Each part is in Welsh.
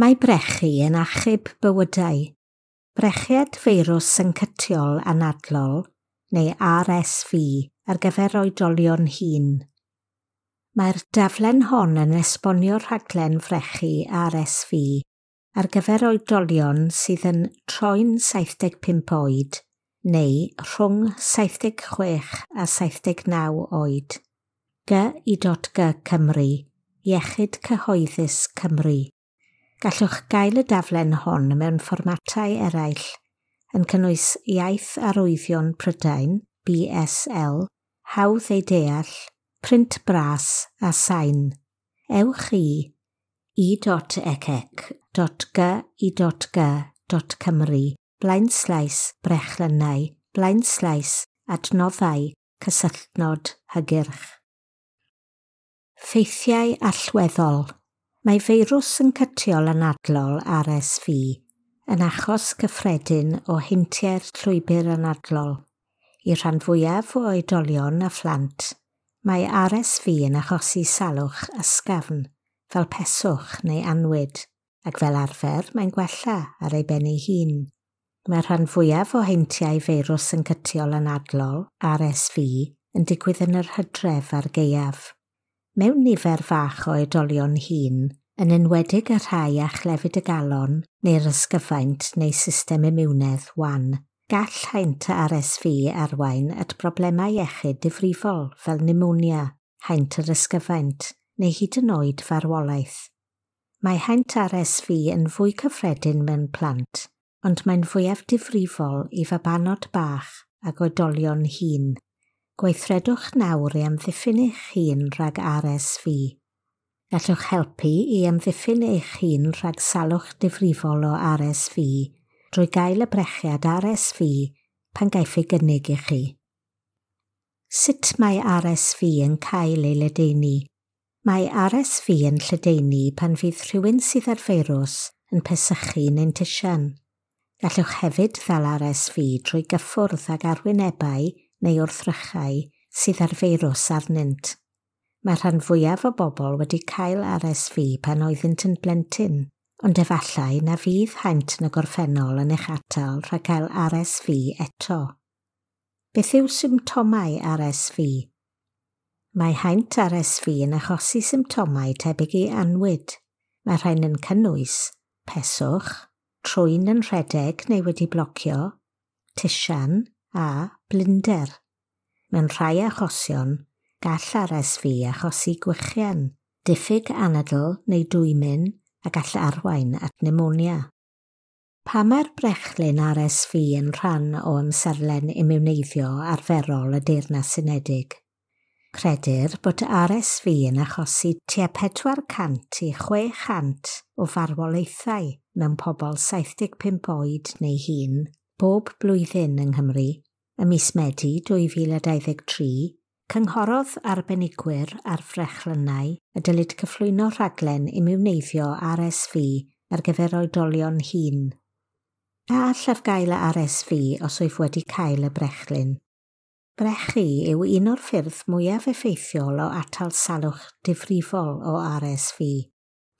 Mae brechu yn achub bywydau. Brechiad feirws syncytiol anadlol, neu RSV, ar gyfer oedolion hŷn. Mae'r daflen hon yn esbonio'r rhaglen frechu RSV ar gyfer oedolion sydd yn troi'n 75 oed neu rhwng 76 a 79 oed. G.I.G Cymru, Iechyd Cyhoeddus Cymru. Gallwch gael y daflen hon mewn fformatau eraill, yn cynnwys Iaith Arwyddion Prydain, BSL, Hawdd ei Deall, Print Bras a Sain. Ewch i e.ecc.gi.g.cymru blaenslaes brechlynnau blaenslaes adnoddau cysylltnod hygyrch. Ffeithiau allweddol. Mae feirws syncytiol anadlol RSV yn achos cyffredin o heintiau'r llwybr anadlol. I'r rhan fwyaf o oedolion a phlant, mae RSV yn achosi salwch ysgafn, fel peswch neu anwyd, ac fel arfer mae'n gwella ar ei ben ei hun. Mae'r rhan fwyaf o heintiau feirws syncytiol anadlol, RSV, yn digwydd yn yr hydref a'r gaeaf. Mewn nifer fach o oedolion hŷn, yn enwedig y rhai â chlefyd y galon neu'r ysgyfaint neu system imiwnedd wan, gall haint RSV arwain at broblemau iechyd difrifol fel pneumonia, haint yr ysgyfaint, neu hyd yn oed farwolaeth. Mae haint RSV yn fwy cyffredin mewn plant, ond mae'n fwyaf difrifol i fabanod bach ac oedolion hŷn. Gweithredwch nawr i amddiffyn eich hun rhag RSV. Gallwch helpu i amddiffyn eich hun rhag salwch difrifol o RSV drwy gael y brechiad RSV pan gaiff ei gynnig i chi. Sut mae RSV yn cael ei ledaenu? Mae RSV yn lledaenu pan fydd rhywun sydd â'r feirws yn pesychu neu'n tisian. Gallwch hefyd ddal RSV drwy gyffwrdd ag arwynebau neu wrthrychau sydd â'r feirws arnynt. Mae'r rhan fwyaf o bobl wedi cael RSV pan oeddynt yn blentyn, ond efallai na fydd haint yn y gorffennol yn eich atal rhag cael RSV eto. Beth yw symptomau RSV? Mae haint RSV yn achosi symptomau tebyg i anwyd. Mae rhain yn cynnwys peswch, trwyn yn rhedeg neu wedi blocio, tisian a blinder. Mewn rhai achosion, gall RSV achosi gwichian, diffyg anadl neu dwymyn a gall arwain at pneumonia. Pa mae'r brechlyn RSV yn rhan o amserlen imiwneiddio arferol y Deyrnas Unedig? Credir bod RSV yn achosi tua 400 i 600 o farwolaethau mewn pobl 75 oed neu hŷn bob blwyddyn yng Nghymru. Ym mis Medi 2023, cynghorodd arbenigwyr ar frechlynnau y dylid cyflwyno rhaglen imiwneiddio RSV ar gyfer oedolion hŷn. A allaf gael y RSV os wyf wedi cael y brechlyn? Brechu yw un o'r ffyrdd mwyaf effeithiol o atal salwch difrifol o RSV.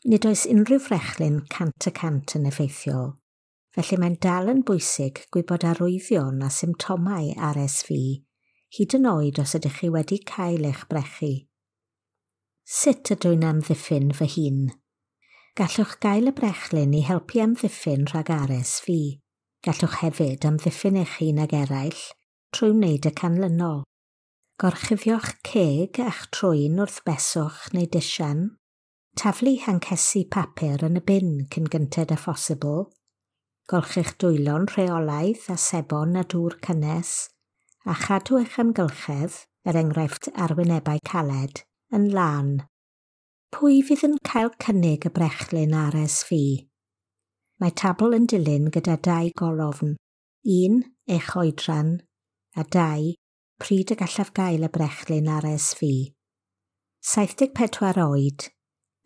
Nid oes unrhyw frechlyn 100% yn effeithiol, felly mae'n dal yn bwysig gwybod arwyddion a symptomau RSV, hyd yn oed os ydych chi wedi cael eich brechu. Sut ydw i'n amddiffyn fy hun? Gallwch gael y brechlyn i helpu amddiffyn rhag RSV. Gallwch hefyd amddiffyn eich hun ag eraill trwy wneud y canlynol. Gorchuddio'ch ceg a'ch trwyn wrth beswch neu disian. Taflu hancesi papur yn y bin cyn gynted â phosibl. Golchi'ch dwylo'n rheolaidd â sebon a dŵr cynnes, a chadw eich amgylchedd, er enghraifft arwynebau caled, yn lân. Pwy fydd yn cael cynnig y brechlyn RSV? Mae tabl yn dilyn gyda dau golofn. 1. Eich oedran, a 2. Pryd y gallaf gael y brechlyn RSV. 74 oed,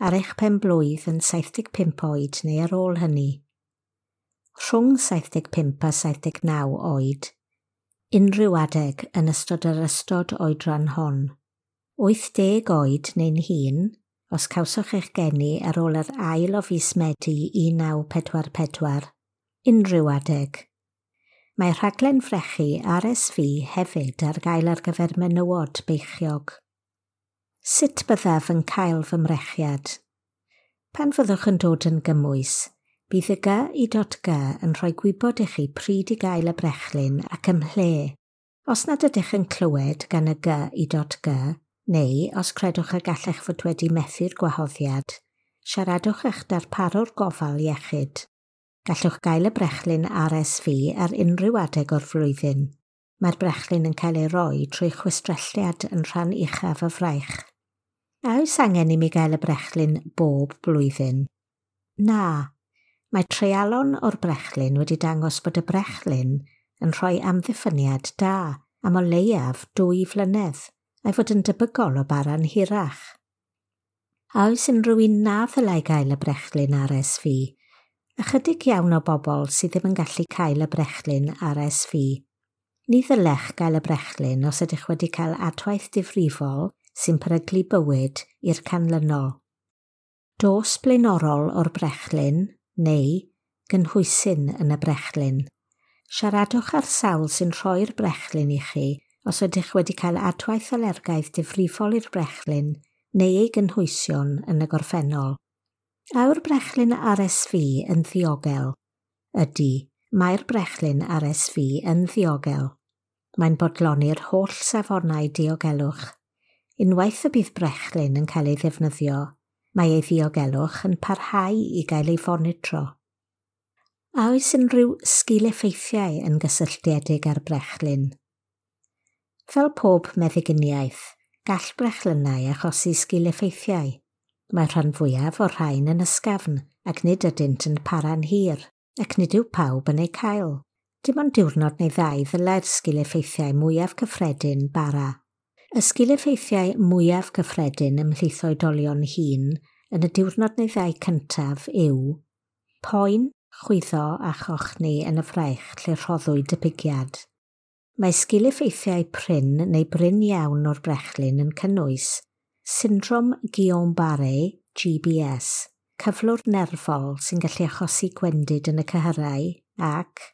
ar eich pen-blwydd yn 75 oed neu ar ôl hynny. Rhwng 75 a 79 oed, unrhyw adeg yn ystod yr ystod oedran hon. 80 oed neu'n hŷn, os cawsoch eich geni ar ôl yr ail o fis Medi 1944, unrhyw adeg. Mae rhaglen frechu RSV hefyd ar gael ar gyfer menywod beichiog. Sut byddaf yn cael fy mrechiad? Pan fyddwch yn dod yn gymwys, bydd y GI.G yn rhoi gwybod i chi pryd i gael y brechlyn ac ymhle. Os nad ydych yn clywed gan y GI.G, neu os credwch y gallech fod wedi methu'r gwahoddiad, siaradwch eich darparwr gofal iechyd. Gallwch gael y brechlyn RSV ar unrhyw adeg o'r flwyddyn. Mae'r brechlyn yn cael ei roi trwy chwistrelliad yn rhan uchaf y fraich. A oes angen i mi gael y brechlyn bob blwyddyn? Na. Mae treialon o'r brechlyn wedi dangos bod y brechlyn yn rhoi amddiffyniad da am o leiaf 2 flynedd, a'i fod yn debygol o bara'n hirach. A oes unrhyw un na ddylai gael y brechlyn RSV? Ychydig iawn o bobl sydd ddim yn gallu cael y brechlyn RSV. Ni ddylech gael y brechlyn os ydych wedi cael adwaith difrifol sy'n peryglu bywyd i'r canlynol. Dos blaenorol o'r brechlyn neu gynhwysyn yn y brechlyn. Siaradwch â'r sawl sy'n rhoi'r brechlyn i chi os ydych wedi cael adwaith alergaidd difrifol i'r brechlyn neu ei gynhwysion yn y gorffennol. A yw'r brechlyn RSV yn ddiogel? Ydy, mae'r brechlyn RSV yn ddiogel. Mae'n bodloni'r holl safonau diogelwch. Unwaith y bydd brechlyn yn cael ei ddefnyddio, mae ei ddiogelwch yn parhau i gael ei fonitro. A oes unrhyw sgil-effeithiau yn gysylltiedig â'r brechlyn? Fel pob meddyginiaeth, gall brechlynnau achosi sgil-effeithiau. Mae rhan fwyaf o'r rhain yn ysgafn ac nid ydynt yn para'n hir, ac nid yw pawb yn eu cael. Dim ond diwrnod neu ddau ddylai'r sgil-effeithiau mwyaf cyffredin bara. Y sgil-effeithiau mwyaf cyffredin ymhlith oedolion hŷn yn y diwrnod neu ddau cyntaf yw poen, chwyddo a chochni yn y fraich lle rhoddwyd y pigiad. Mae sgil-effeithiau prin neu brin iawn o'r brechlyn yn cynnwys syndrom Guillain-Barré, GBS, cyflwr nerfol sy'n gallu achosi gwendid yn y cyhyrau ac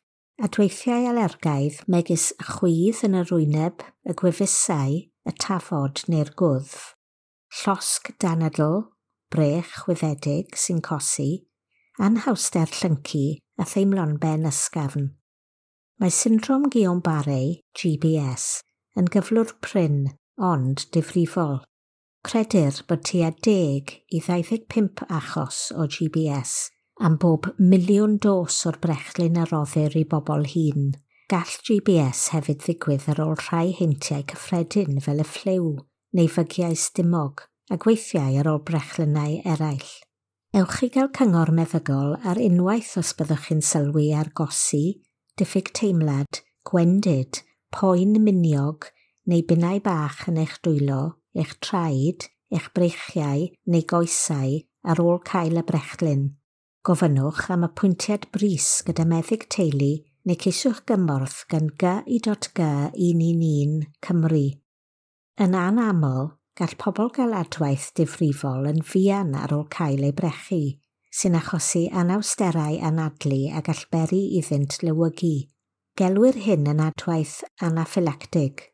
adweithiau alergaidd megis chwydd yn yr wyneb, y gwefusau, y tafod neu'r gwddf, llosg danadl, brech chwyddedig sy'n cosi, anhawster llyncu a theimlo'n ben ysgafn. Mae syndrom Guillain-Barré, GBS, yn gyflwr prin, ond difrifol. Credir bod tua 10 i 25 achos o GBS am bob miliwn dos o'r brechlyn a roddir i bobl hŷn. Gall GBS hefyd ddigwydd ar ôl rhai heintiau cyffredin fel y ffliw neu fygiau stumog a gweithiau ar ôl brechlynnau eraill. Ewch i gael cyngor meddygol ar unwaith os byddwch chi'n sylwi ar gosi, diffyg teimlad, gwendid, poen miniog neu binnau bach yn eich dwylo, eich traed, eich breichiau neu goesau ar ôl cael y brechlyn. Gofynnwch am apwyntiad brys gyda meddyg teulu neu ceisiwch gymorth gan GI.G 111 Cymru. Yn anaml, gall pobl gael adwaith difrifol yn fuan ar ôl cael eu brechu, sy'n achosi anawsterau anadlu a gall beri iddynt lewygu. Gelwir hyn yn adwaith anaffylactig.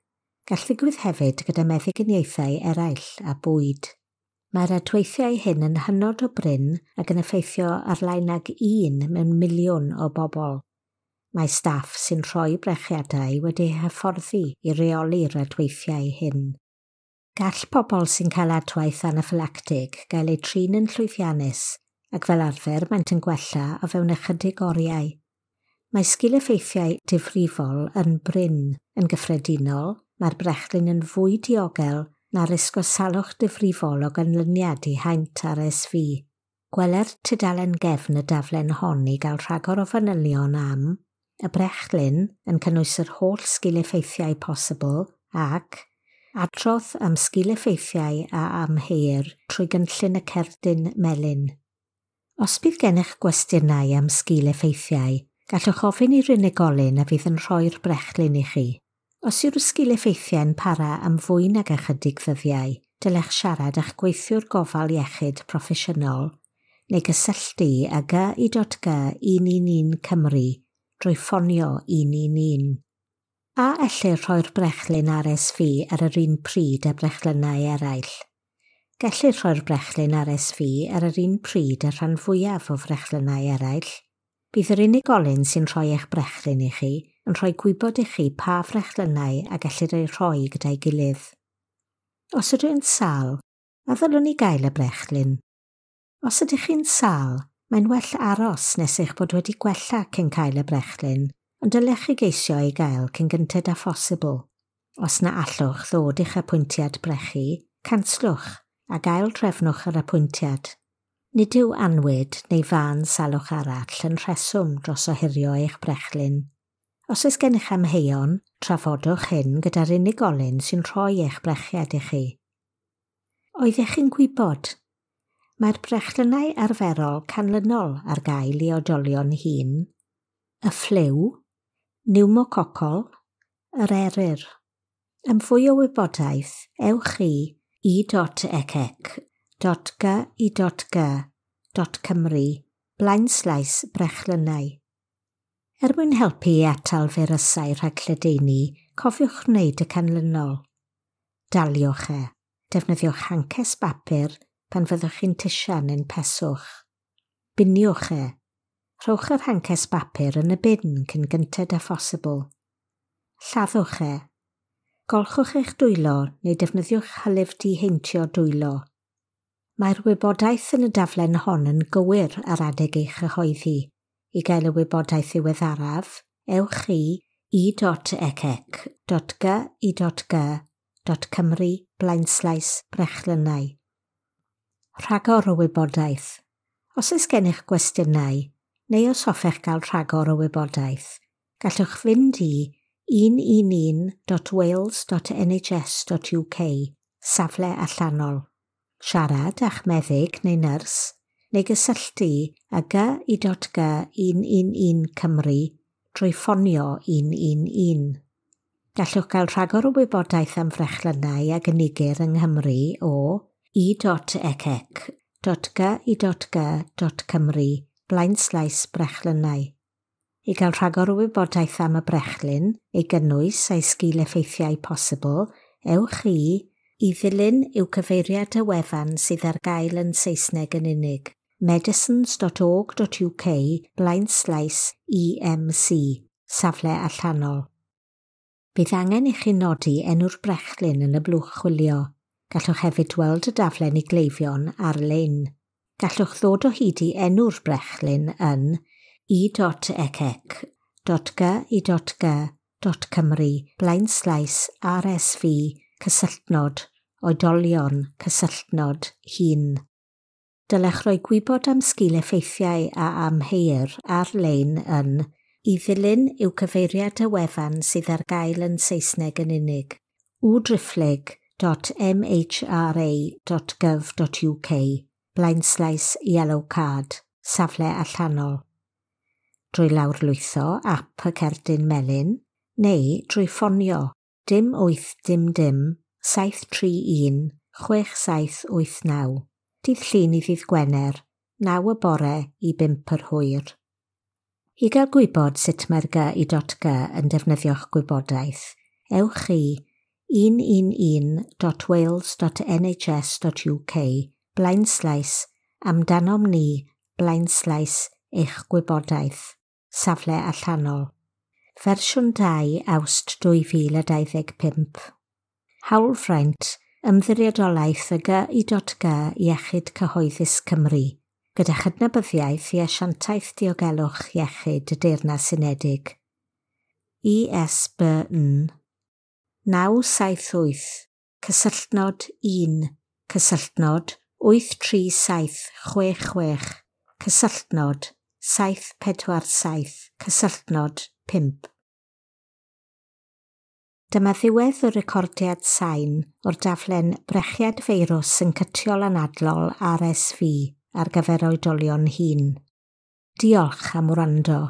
Gall ddigwydd hefyd gyda meddyginiaethau eraill a bwyd. Mae'r adweithiau hyn yn hynod o brin ac yn effeithio ar lai nag 1 mewn miliwn o bobl. Mae staff sy'n rhoi brechiadau wedi'u hyfforddi i reoli'r adweithiau hyn. Gall pobl sy'n cael adwaith anaffylactig gael eu trin yn llwyddiannus ac fel arfer maent yn gwella o fewn ychydig oriau. Mae sgil-effeithiau difrifol yn brin. Yn gyffredinol, mae'r brechlyn yn fwy diogel na risg o salwch difrifol o ganlyniad i haint RSV. Gweler tudalen gefn y daflen hon i gael rhagor o fanylion am y brechlyn yn cynnwys yr holl sgil-effeithiau posibl ac adrodd am sgil-effeithiau a amheuir trwy gynllun y cerdyn melyn. Os bydd gennych gwestiynau am sgil-effeithiau, gallwch ofyn i'r unigolyn a fydd yn rhoi'r brechlyn i chi. Os yw'r sgil-effeithiau'n para am fwy nag ychydig ddyddiau, dylech siarad â'ch gweithiwr gofal iechyd proffesiynol neu gysylltu â GI.G 111 Cymru drwy ffonio 111. A ellir rhoi'r brechlyn RSV ar yr un pryd â brechlynnau eraill? Gellir rhoi'r brechlyn RSV ar yr un pryd â'r rhan fwyaf o frechlynnau eraill. Bydd yr unigolyn sy'n rhoi eich brechlyn i chi yn rhoi gwybod i chi pa frechlynnau a gellir eu rhoi gyda'i gilydd. Os ydw i'n sâl, a ddylwn i gael y brechlyn? Os ydych chi'n sâl, mae'n well aros nes eich bod wedi gwella cyn cael y brechlyn, ond dylech chi geisio ei gael cyn gynted â phosibl. Os na allwch ddod i'ch apwyntiad brechu, canslwch a gael trefnwch yr apwyntiad. Nid yw anwyd neu fân salwch arall yn rheswm dros ohirio eich brechlyn. Os oes gennych amheuon, trafodwch hyn gyda'r unigolyn sy'n rhoi eich brechiad i chi. Oeddech chi'n gwybod? Mae'r brechlynnau arferol canlynol ar gael i oedolion hŷn: y ffliw, niwmococol, yr eryr. Am fwy o wybodaeth, ewch i e.ecec.gi.g.cymru blaenslaes brechlynnau. Er mwyn helpu i atal feirysau rhag lledaenu, cofiwch wneud y canlynol. Daliwch e. Defnyddiwch hances bapur pan fyddwch chi'n tisian neu'n peswch. Biniwch e. Rhowch yr hances bapur yn y bin cyn gynted â phosibl. Lladdwch e. Golchwch eich dwylo neu defnyddiwch hylif diheintio dwylo. Mae'r wybodaeth yn y daflen hon yn gywir ar adeg ei chyhoeddi. I gael y wybodaeth ddiweddaraf, ewch i e.ecec.gi.g.cymru blaenslaes brechlynnau. Rhagor o wybodaeth. Os oes gennych gwestiynau, neu os hoffech gael rhagor o wybodaeth, gallwch fynd i 111.wales.nhs.uk, safle allanol. Siarad â'ch meddyg neu nyrs, neu gysylltu â GI.G 111 Cymru drwy ffonio 111. Gallwch gael rhagor o wybodaeth am frechlynnau a gynigir yng Nghymru o e.ecec.gi.g.cymru blaenslaes brechlynnau. I gael rhagor o wybodaeth am y brechlyn, ei gynnwys a'i sgil effeithiau posibl, ewch i ddilyn yw cyfeiriad y wefan sydd ar gael yn Saesneg yn unig: medicines.org.uk blaenslaes EMC, safle allanol. Bydd angen i chi nodi enw'r brechlyn yn y blwch chwilio. Gallwch hefyd weld y daflen i gleifion ar-lein. Gallwch ddod o hyd i enw'r brechlyn yn e.ecec.gi.g.cymru blaenslaes RSV cysylltnod oedolion cysylltnod hŷn. Dylech roi gwybod am sgil effeithiau a amheuir ar-lein yn i ddilyn yw cyfeiriad y wefan sydd ar gael yn Saesneg yn unig: www.mhra.gov.uk blaenslaes yellow card, safle allanol. Drwy lawrlwytho ap y cerdyn melyn, neu drwy ffonio 0 8 dim dim 731 6789, dydd Llun i ddydd Gwener, 9 y bore i 5 yr hwyr. I gael gwybod sut mae'r GI.G yn defnyddio'ch gwybodaeth, ewch i 111.wales.nhs.uk blaenslaes amdanom ni blaenslaes eich gwybodaeth, safle allanol. Fersiwn 2 Awst 2025. Hawlfraint Ymddiriedolaeth y GI.G Iechyd Cyhoeddus Cymru, gyda chydnabyddiaeth i Asiantaeth Diogelwch Iechyd y Deyrnas Unedig. ISBN 978 cysylltnod 1 cysylltnod 83766 cysylltnod 747 cysylltnod 5. Dyma ddiwedd y recordiad sain o'r daflen Brechiad Feirws Syncytiol Anadlol RSV ar gyfer oedolion hŷn. Diolch am wrando.